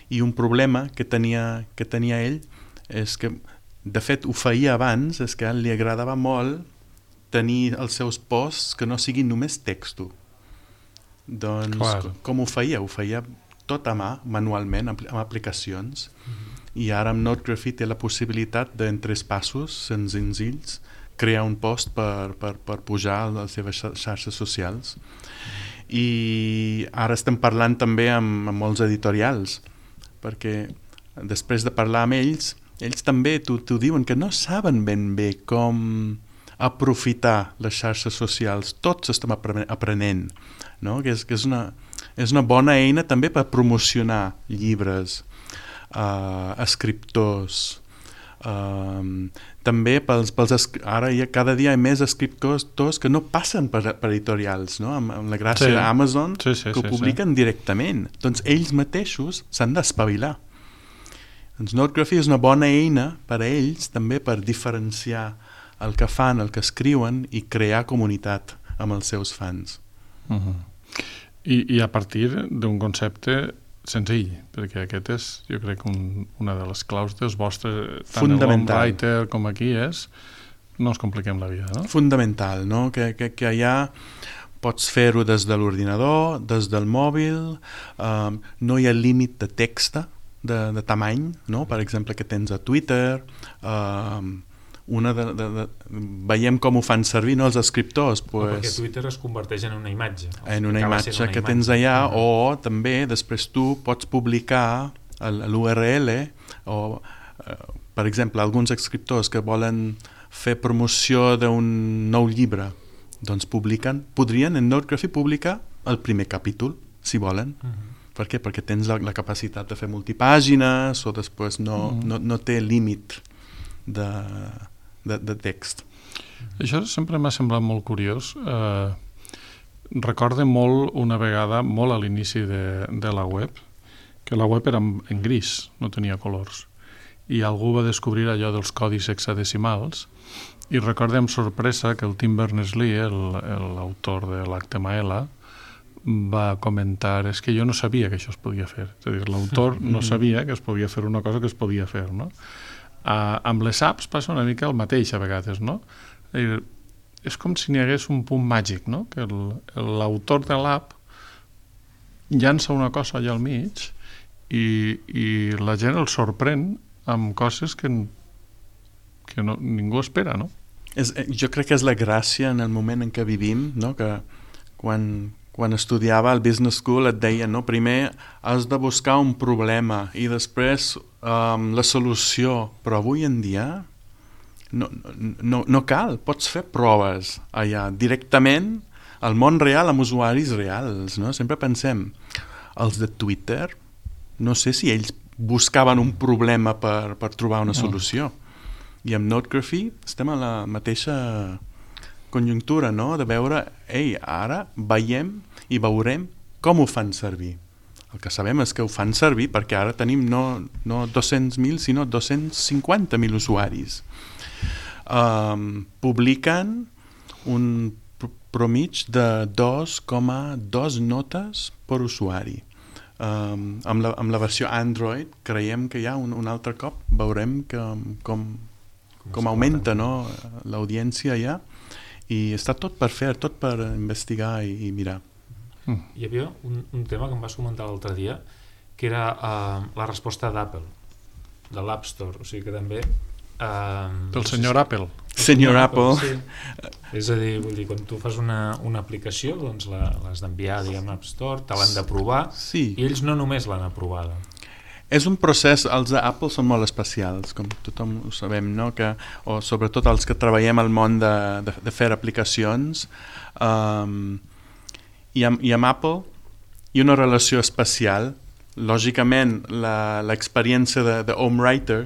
I un problema que tenia, que tenia ell és que, de fet, ho feia abans, és que li agradava molt tenir els seus posts que no siguin només texto. Doncs, Clar. com ho feia? Ho feia tot a mà, manualment, amb aplicacions, mm-hmm. i ara amb Notegraphy té la possibilitat de, en tres passos senzills, crear un post per, per, per pujar a les seves xarxes socials. I ara estem parlant també amb, amb molts editorials, perquè després de parlar amb ells, ells també t'ho diuen que no saben ben bé com aprofitar les xarxes socials. Tots estem aprenent, no? que, és, que és, una, és una bona eina també per promocionar llibres, uh, escriptors, uh, també pels, pels, ara hi ha, cada dia hi ha més escriptors que no passen per, per editorials, no? amb, amb la gràcia sí. d'Amazon, sí, sí, que ho sí, publiquen sí. directament. Doncs ells mateixos s'han d'espavilar. Doncs Notegraphy és una bona eina per a ells també per diferenciar el que fan, el que escriuen i crear comunitat amb els seus fans. Uh-huh. I, I a partir d'un concepte senzill, perquè aquest és, jo crec, un, una de les claus dels vostres, tant el Writer com aquí és, no ens compliquem la vida, no? Fundamental, no? Que, que, que allà pots fer-ho des de l'ordinador, des del mòbil, um, no hi ha límit de text, de, de tamany, no? Per exemple, que tens a Twitter, um, una de, de, de, veiem com ho fan servir, no, els escriptors, pues, no, perquè Twitter es converteix en una imatge en una imatge una que imatge. Tens allà, uh -huh. o també després tu pots publicar l'U R L o, eh, per exemple, alguns escriptors que volen fer promoció d'un nou llibre, doncs publiquen, podrien en Notography publicar el primer capítol, si volen. Uh -huh. Per què? Perquè tens la, la capacitat de fer multipàgines o després no, uh -huh. no, no té límit de De, de text. Això sempre m'ha semblat molt curiós. Eh, recorde molt una vegada, molt a l'inici de, de la web, que la web era en, en gris, no tenia colors, i algú va descobrir allò dels codis hexadecimals, i recorde amb sorpresa que el Tim Berners-Lee, l'autor de l'H T M L, va comentar, és que jo no sabia que això es podia fer. És a dir, l'autor no sabia que es podia fer una cosa que es podia fer, no? Uh, amb les apps passa una mica el mateix a vegades, no? És, és com si n'hi hagués un punt màgic, no? Que l'autor de l'app llança una cosa allà al mig i, i la gent el sorprèn amb coses que, que no, ningú espera, no? És, jo crec que és la gràcia en el moment en què vivim, no? Que quan, quan estudiava al Business School et deien, no? Primer has de buscar un problema i després Um, la solució, però avui en dia no, no, no cal, pots fer proves allà directament al món real amb usuaris reals, no? Sempre pensem, els de Twitter, no sé si ells buscaven un problema per, per trobar una solució, i amb Notography estem a la mateixa conjuntura, no? De veure, ei, ara veiem i veurem com ho fan servir. El que sabem és que ho fan servir perquè ara tenim no, no dos-cents mil, sinó dos-cents cinquanta mil usuaris. Um, publiquen un promig de dos coma dos notes per usuari. Um, amb, la, amb la versió Android creiem que ja un, un altre cop veurem que, com, com augmenta, no, l'audiència ja, i està tot per fer, tot per investigar i, i mirar. Mm. Hi havia un, un tema que em vas comentar l'altre dia, que era uh, la resposta d'Apple, de l'App Store, o sigui que també... Uh, Del no senyor si... Apple. El senyor Apple. Sí. És a dir, vull dir, quan tu fas una, una aplicació, doncs l'has d'enviar, diguem, a l'App Store, te l'han d'aprovar, sí. I ells no només l'han aprovada. És un procés, els d'Apple són molt especials, com tothom ho sabem, no? Que, o sobretot els que treballem al món de, de, de fer aplicacions, um, I amb, i amb Apple hi ha una relació especial. Lògicament, l'experiència de, de Home Writer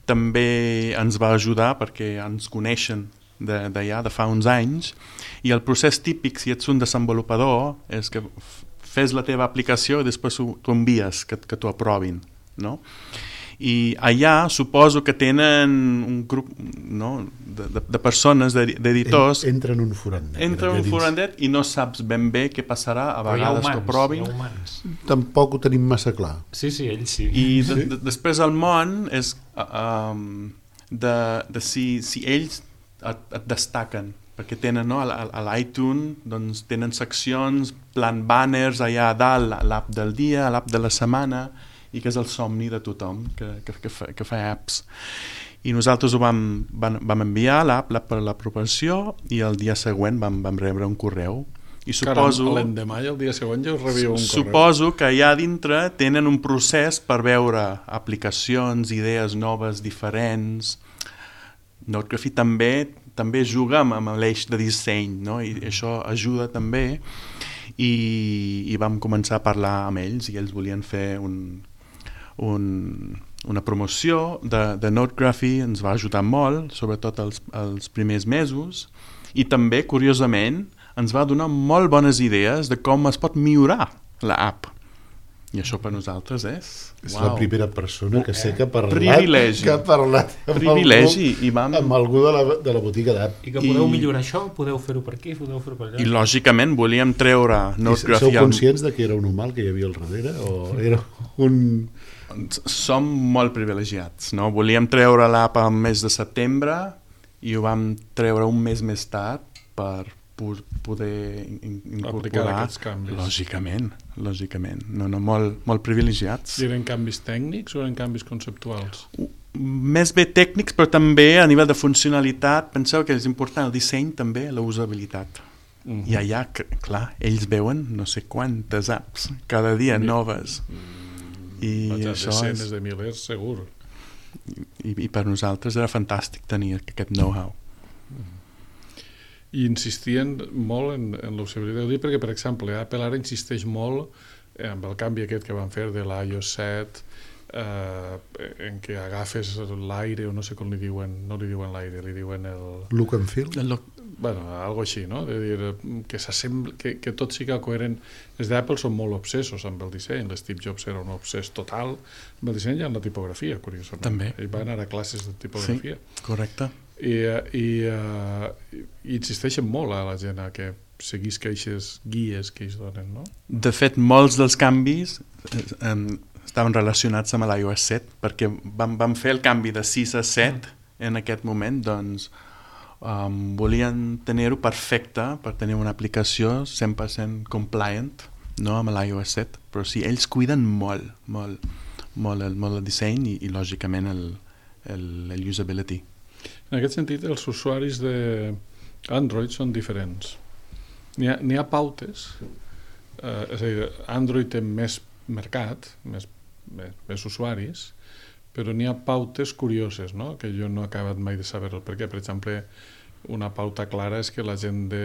també ens va ajudar perquè ens coneixen de, de ja de fa uns anys, i el procés típic, si ets un desenvolupador, és que fes la teva aplicació i després t'ho envies, que, que t'ho aprovin, no? I allà suposo que tenen un grup, no, de, de, de persones, d'editors... Entra en un forandet. Entra en un forandet i no saps ben bé què passarà, a vegades t'ho provin. Tampoc ho tenim massa clar. Sí, sí, ells sí. I de, de, després el món és um, de, de si, si ells et, et destaquen, perquè tenen, no, a, a l'iTunes doncs, tenen seccions, plan banners allà a dalt, l'app del dia, l'app de la setmana, i que és el somni de tothom que, que, que, fa, que fa apps. I nosaltres ho vam, vam, vam enviar l'app per l'aprovació i el dia següent vam, vam rebre un correu. I suposo, Caram, l'endemà i el dia següent ja us rebia un correu. Suposo que allà dintre tenen un procés per veure aplicacions, idees noves, diferents. Notography també també juga amb, amb l'eix de disseny, no? I això ajuda també, i, i vam començar a parlar amb ells i ells volien fer un, un, una promoció de, de Notography. Ens va ajudar molt, sobretot els, els primers mesos, i també, curiosament, ens va donar molt bones idees de com es pot millorar l'app. I això per nosaltres és... És uau. la primera persona que sé que ha parlat, Privilegi. que ha parlat amb, Privilegi, algú, i vam... amb algú de la, de la botiga d'app. I que podeu I- millorar això, podeu fer-ho per aquí, podeu fer-ho per allà. I lògicament volíem treure I Notgraphy sou al... conscients de que era un humà el que hi havia al darrere? O era un... Som molt privilegiats, no? Volíem treure l'app al mes de setembre i ho vam treure un mes més tard per po- poder in- Aplicar incorporar... aquests canvis. Lògicament, lògicament. No, no, molt, molt privilegiats. I eren canvis tècnics o eren canvis conceptuals? Més bé tècnics, però també a nivell de funcionalitat. Penseu que és important el disseny també, la usabilitat. Uh-huh. I allà, c- clar, ells veuen no sé quantes apps cada dia noves. I Vaja, això desenes és... de milers, segur. I, I per nosaltres era fantàstic tenir aquest know-how. I insistien molt en, en l'usabilitat. Ho dic perquè, per exemple, Apple ara insisteix molt eh, amb el canvi aquest que van fer de l'iOS set, eh, en què agafes l'aire, o no sé com li diuen, no li diuen l'aire, li diuen el... Look and feel? El, Bueno, algo així, no? De dir, que, que, que tot siga coherent. Els d'Apple són molt obsessos amb el disseny. L'Steve Jobs era un obsès total amb el disseny i amb la tipografia, curiosament. També. Ell va anar a classes de tipografia. Sí, correcte. I, i, uh, i insisteixen molt a la gent a que seguís aquestes guies que ells donen, no? De fet, molts dels canvis eh, eh, estaven relacionats amb l'iOS set, perquè vam, vam fer el canvi de sis a set en aquest moment, doncs um, volien tenir-ho perfecte per tenir una aplicació cent per cent compliant, no, amb l'iOS set, però sí, ells cuiden molt, molt, molt el, molt el disseny i, i lògicament el, el, el usability. En aquest sentit, els usuaris d'Android són diferents. N'hi ha, n'hi ha pautes, eh, és a dir, Android té més mercat, més, més, més usuaris, però n'hi ha pautes curioses, no? Que jo no he acabat mai de saber el per què. Per exemple, una pauta clara és que la gent de,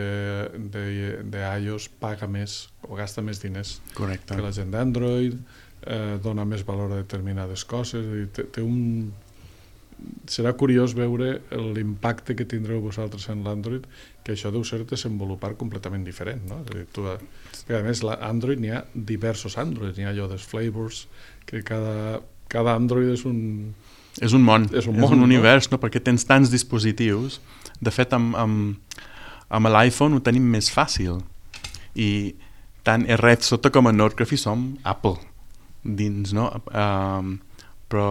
de, de iOS paga més o gasta més diners Correcte. que la gent d'Android, eh, dona més valor a determinades coses, és a dir, té, té un... Serà curiós veure l'impacte que tindreu vosaltres en l'Android, que això deu ser desenvolupar completament diferent, no? És a dir, tu, a més, l'Android n'hi ha diversos Androids, n'hi ha allò dels flavors, que cada, cada Android és un... És un món, és un, és món, un no? univers, no? Perquè tens tants dispositius. De fet, amb, amb, amb l'iPhone ho tenim més fàcil. I tant a Red Sota com a Notgraphy som Apple dins, no? Um, però,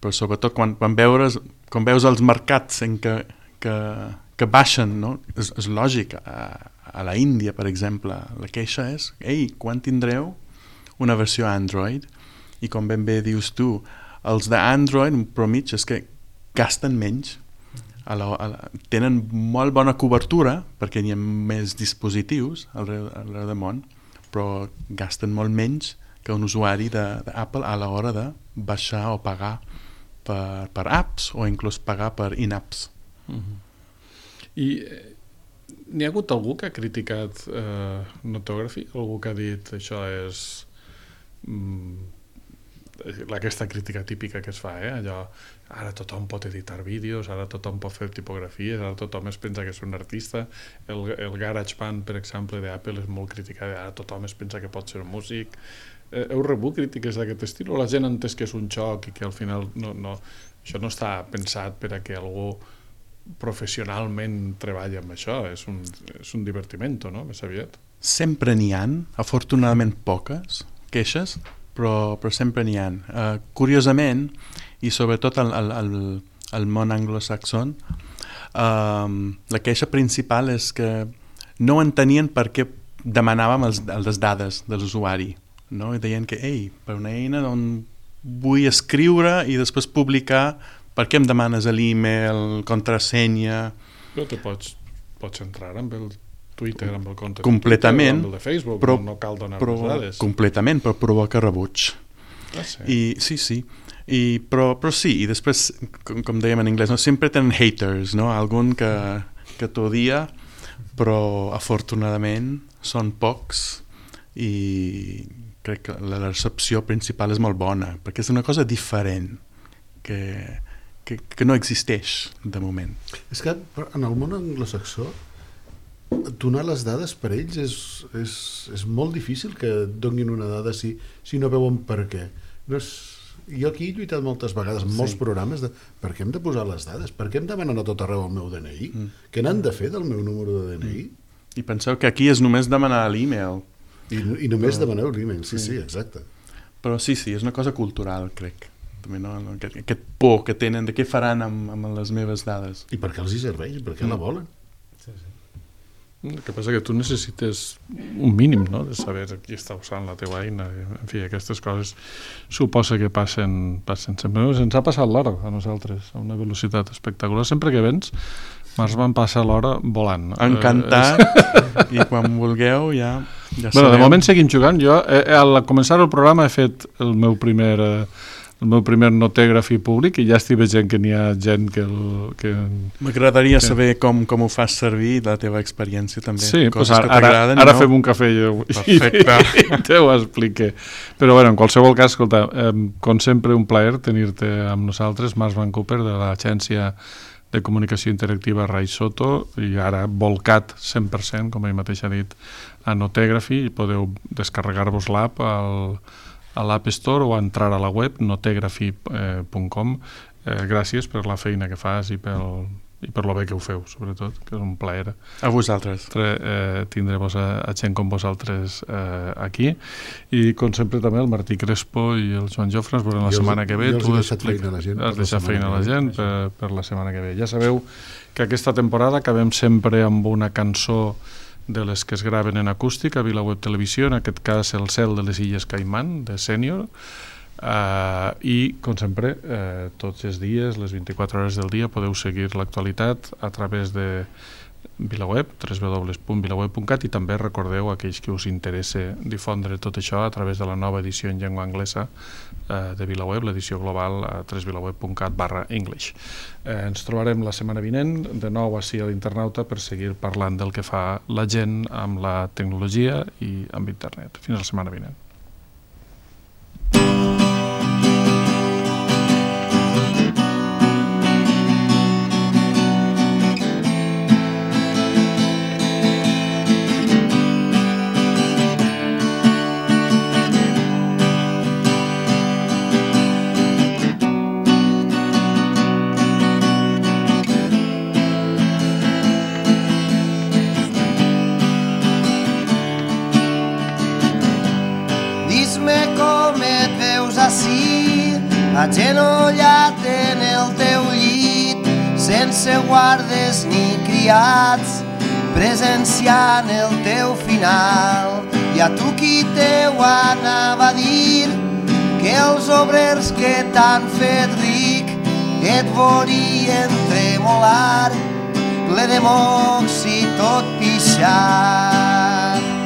però sobretot quan, quan, veures, quan veus els mercats en què, que, que baixen, no? És, és lògic. A, a la Índia, per exemple, la queixa és ei, quan tindreu una versió Android? I com ben bé dius tu, els d'Android, però mig, és que gasten menys. A la, a la, tenen molt bona cobertura, perquè hi ha més dispositius arreu, arreu del món, però gasten molt menys que un usuari d'Apple a l'hora de baixar o pagar per, per apps o inclús pagar per in-apps. Uh-huh. I eh, n'hi ha hagut algú que ha criticat eh, Notography? Algú que ha dit això és... Mm, aquesta crítica típica que es fa, eh? Allò, ara tothom pot editar vídeos, ara tothom pot fer tipografies, ara tothom es pensa que és un artista, el, el GarageBand, per exemple, d'Apple és molt criticat, ara tothom es pensa que pot ser un músic. Eh, heu rebut crítiques d'aquest estil o la gent ha entès que és un xoc i que al final no, no, això no està pensat per a que algú professionalment treballi amb això, és un, és un divertiment, no? Més aviat. Sempre n'hi ha, afortunadament poques queixes, però, però sempre n'hi ha. Uh, curiosament, i sobretot al, al, al, al món anglosaxon, uh, la queixa principal és que no entenien per què demanàvem els, les dades de l'usuari. No? I deien que, ei, per una eina on vull escriure i després publicar, per què em demanes l'email, contrasenya? Però te pots, pots entrar amb el Twitter, amb el compte completament, de Twitter, amb el de Facebook, però, no cal donar però, les dades. Completament, però provoca rebuig. Ah, sí? I, sí, sí. I, però, però sí, i després, com, com dèiem en anglès, no? Sempre tenen haters, no? Algun que, que t'odia, però afortunadament són pocs i crec que la recepció principal és molt bona, perquè és una cosa diferent que, que, que no existeix de moment. És que en el món anglosaxó donar les dades per ells és, és, és molt difícil que et donin una dada si, si no veuen per què. No és, jo aquí he lluitat moltes vegades en molts sí. programes de per què hem de posar les dades? Per què em demanen a tot arreu el meu D N I? Mm. Què n'han de fer del meu número de D N I? Mm. I penseu que aquí és només demanar l'e-mail. I, i només Però... demaneu l'e-mail, sí, sí, sí, exacte. Però sí, sí, és una cosa cultural, crec. També, no? Aquest, aquest por que tenen de què faran amb, amb les meves dades. I per què els hi serveix? Per què mm. la volen? Sí, sí. El que passa que tu necessites un mínim, no?, de saber qui està usant la teva eina. En fi, aquestes coses suposa que passen, passen sempre. Ens ha passat l'hora a nosaltres, a una velocitat espectacular. Sempre que vens, Mars van passar l'hora volant. Encantat, i quan vulgueu ja, ja bueno, de moment seguim jugant. Jo, eh, al començar el programa he fet el meu primer... Eh, el meu primer notègraf públic i ja estic veient que n'hi ha gent que... El, que M'agradaria que... saber com, com ho fas servir, la teva experiència també. Sí, coses pues ara, que t'agraden. Ara no? fem un cafè i, Perfecte. i, i te ho explique. Però bueno, en qualsevol cas, escolta, eh, com sempre un plaer tenir-te amb nosaltres, Mars Van Cooper, de l'agència de comunicació interactiva Rai Soto, i ara volcat cent per cent, com ell mateix ha dit, a Notègrafy, i podeu descarregar-vos l'app al a l'App Store o entrar a la web notègrafy punt com. Eh, gràcies per la feina que fas i, pel, i per lo bé que ho feu, sobretot, que és un plaer. A vosaltres. Eh, tindre-vos a, a gent com vosaltres eh, aquí. I, com sempre, també el Martí Crespo i el Joan Jofre ens veurem la jo setmana que ve. Jo els he deixat feina a la gent. Has deixat feina a la gent per, per la setmana que ve. Ja sabeu que aquesta temporada acabem sempre amb una cançó de les que es graven en acústic a VilaWeb Televisió, en aquest cas El cel de les Illes Caimán, de Sènior, uh, i, com sempre, uh, tots els dies, les vint-i-quatre hores del dia, podeu seguir l'actualitat a través de VilaWeb, w w w punt vilaweb punt cat, i també recordeu a aquells que us interessa difondre tot això a través de la nova edició en llengua anglesa eh, de VilaWeb, l'edició global a w w w punt vilaweb punt cat barra english. Eh, ens trobarem la setmana vinent, de nou així a l'Internauta, per seguir parlant del que fa la gent amb la tecnologia i amb internet. Fins la setmana vinent. agenollat en el teu llit, sense guardes ni criats, presenciant el teu final. I a tu qui teu anava a dir que els obrers que t'han fet ric et vorien tremolar, ple de mocs i tot pixat.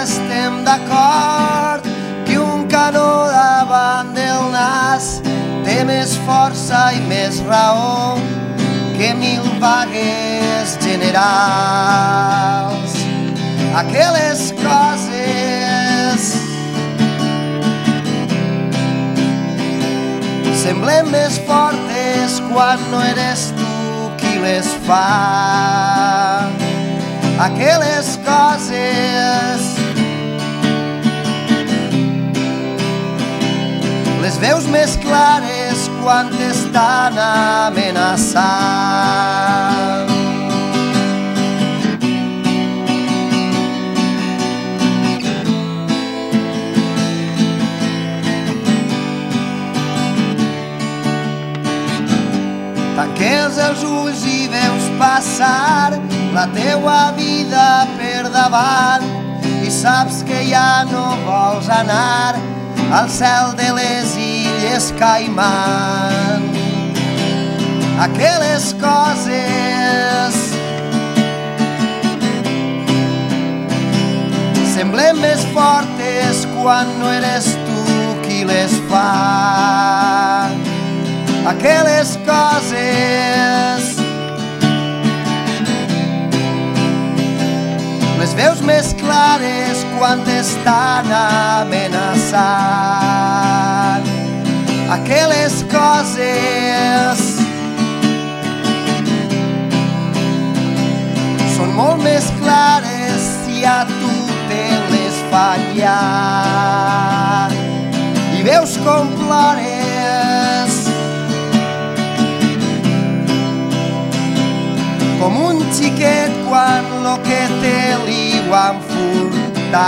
Estem d'acord que un canó davant del nas té més força i més raó que mil vagues generals. Aquelles coses semblen més fortes quan no eres tu qui les fa. Aquelles coses les veus més clares quan t'estan amenaçant. Tanques els ulls i veus passar la teua vida per davant i saps que ja no vols anar al cel de les Illes Caimán. Aquelles coses semblen més fortes quan no eres tu qui les fa. Aquelles coses les veus més clares quan t'estan amenaçant. Aquelles coses són molt més clares si a tu te les fallar. I veus com plores com un xiquet quan lo que té li ho han furtat.